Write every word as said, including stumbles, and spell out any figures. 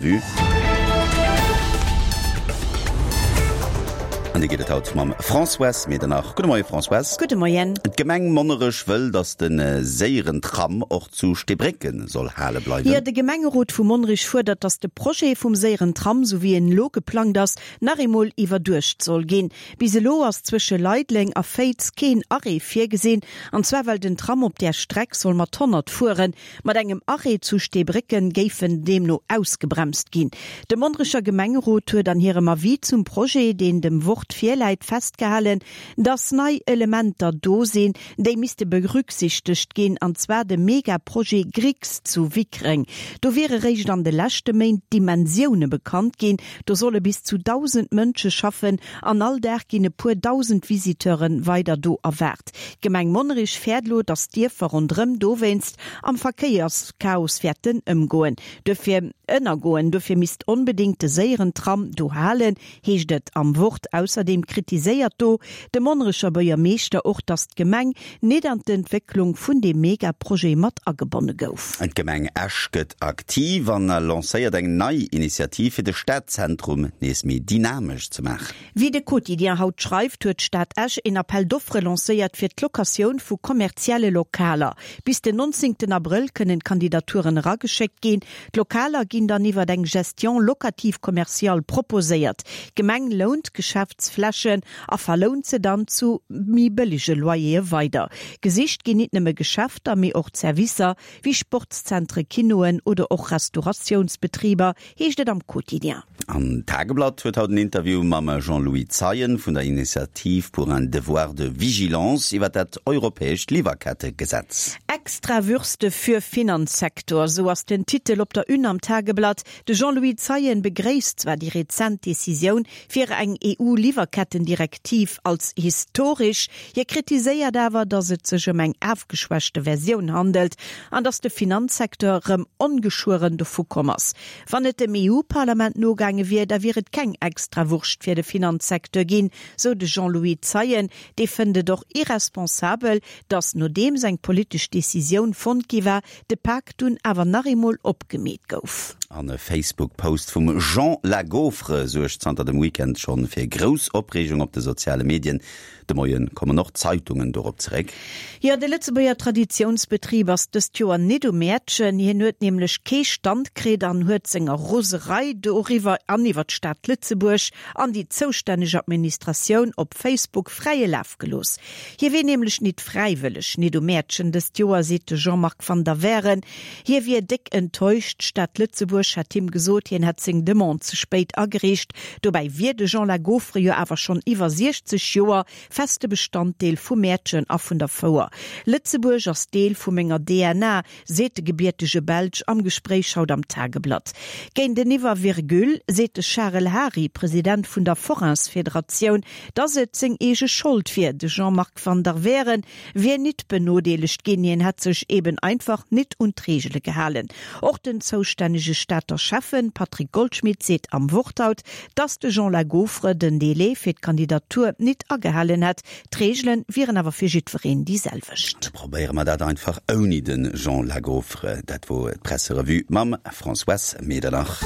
Presserevue. An déi geet et haut mam Françoise Medernach. Gudde Moie Françoise. Gudde Moien. D'Gemeng Monnerech wëll, datt de séieren Tram och zu Steebrécken soll hale bleiwen. Jo, de Gemengerot vu Monnerech fuerdert, datt de Projet vum séieren Tram, sou wéi en elo geplangt ass, nach eemol iwwerduecht soll ginn. Bis elo ass zwësche Leideleng a Féiz keen Arrêt virgesinn, an zwar well den Tram op där Streck soll mat honnert fueren. Mat engem Arrêt zu Steebrécken géif en deemno ausgebremst ginn. De Monnerecher Gemengerot huet an hirem Avis zum Projet, deen dem Wort virläit, festgehalen, dass nei Elementer do sinn, déi misste berücksichtegt ginn, an zwar de Megaprojet Grix zu Wickreng. Do wiere réischt an de leschte Méint d'Dimensioune bekannt ginn. Do solle bis zu dausend Mënsche schaffen an all Dag ginn e puer dausend Visiteure weider do erwaart. D'Gemeng Monnerech fäert elo, dass d'Dierfer ronderëm dowéinst am Verkéierschaos wäerten ëmgoen. Dofir ënnergoen. Dofir misst onbedéngt de séieren Tram do halen, heescht et am Wort. Ausserdeem kritiséiert do de Monnerecher Buergermeeschter och, datt d'Gemeng net an d'Entwécklung vun deem Megaprojet mat agebonne gouf. D'Gemeng Esch gëtt aktiv an lancéiert eng nei Initiativ, fir de Stadzentrum nees méi dynamesch ze maachen. Wéi de Quotidien haut schreift, huet d'Stad Esch een Appel d'offres lancéiert fir d'Locatioun vu kommerzielle Lokaler. Bis den nonzéngten Abrëll kënnen d'Kandidaturen erageschéckt ginn. D'Lokaler ginn dann iwwer eng Gestion locative commerciale proposéiert. D'Gemeng lount d'Geschäftsflächen a verlount se dann zu méi bëllege Loyere weider. Gesicht ginn nit nëmme Geschäfter, mee och Zerwisser wéi Sportszentre, Kinoen oder och Restauratiounsbetriber, heescht et am Quotidien. An d'Tageblatt huet haut en Interview mam Jean-Louis Zeien vun der Initiative pour un devoir de vigilance iwwer dat europäescht Liwwerkettegesetz. Extra Würste für Finanzsektor, sou ass den Titel op der Une am Tageblatt. De Jean-Louis Zeien begréisst zwar déi rezent Decisioun fir eng E U-Liwwerkettendirektiv als historesch, hie kritiséiert awer, datt et sech ëm eng afgeschwächte Versioun handelt an datt de Finanzsecteur rëm ongeschueren dovu komm ass. Wann et dem E U-Parlament nogaange wier, da wier et keng Extrawurscht fir de Finanzsecteur ginn, sou de Jean-Louis Zeien. Dee fënnt et och irresponsabel, datt nodeems eng politesch Decisioun fonnt gi war, de Pak dunn awer nach eemol opgemeet gouf. An e Facebook-Post vum Jean La Gaufre suergt zanter dem Weekend schonn fir grouss Opreegung op de soziale Medien. De Moien kommen och d'Zeitungen dorop zeréck. Jo, de Lëtzebuerger Traditiounsbetrib ass dëst Joer nit um Mäertchen. Hien huet nämlech kee Stand kritt an huet senger Roserei doriwwer an iwwer d'Stad Lëtzebuerg an déi zoustänneg Administratioun op Facebook fräie Laf gelooss. Hie wier nämlech nit fräiwëlleg nit um Mäertchen dëst Joer, seet de Jean-Marc van der Wehren. Hie wier déck enttäuscht. D'Stad Lëtzebuerg hätt him gesot, hien hätt seng Demande ze spéit agereecht. Dobäi wier de Jean Lagaufre jo awer schonn iwwer siechzeg Joer feste Bestanddeel vum Mäertchen a vun der Fouer. Lëtzebuerg ass Deel vu menger D N A, seet de gebiertege Belsch am Gespréich haut am Tageblatt. Géinteniwwer Virgule seet de Charel Hary, President vun der Forainsfederatioun, dass et seng eege Schold wier. De Jean-Marc van der Wehren wier nit benodeelegt ginn, hien hätt sech eben einfach nit un d'Reegele gehalen. Och den zoustännege Stater Schäffen Patrick Goldschmidt seet am Wort haut, dass de Jean Lagaufre den Delai fir d'Kandidatur nit agehalen hätt, d'Reegele wieren awer fir jiddwereen déi selwecht. Probéiere mer dat einfach ouni de Jean Lagaufre. Dat wor d'Presserevue mam Françoise Medernach.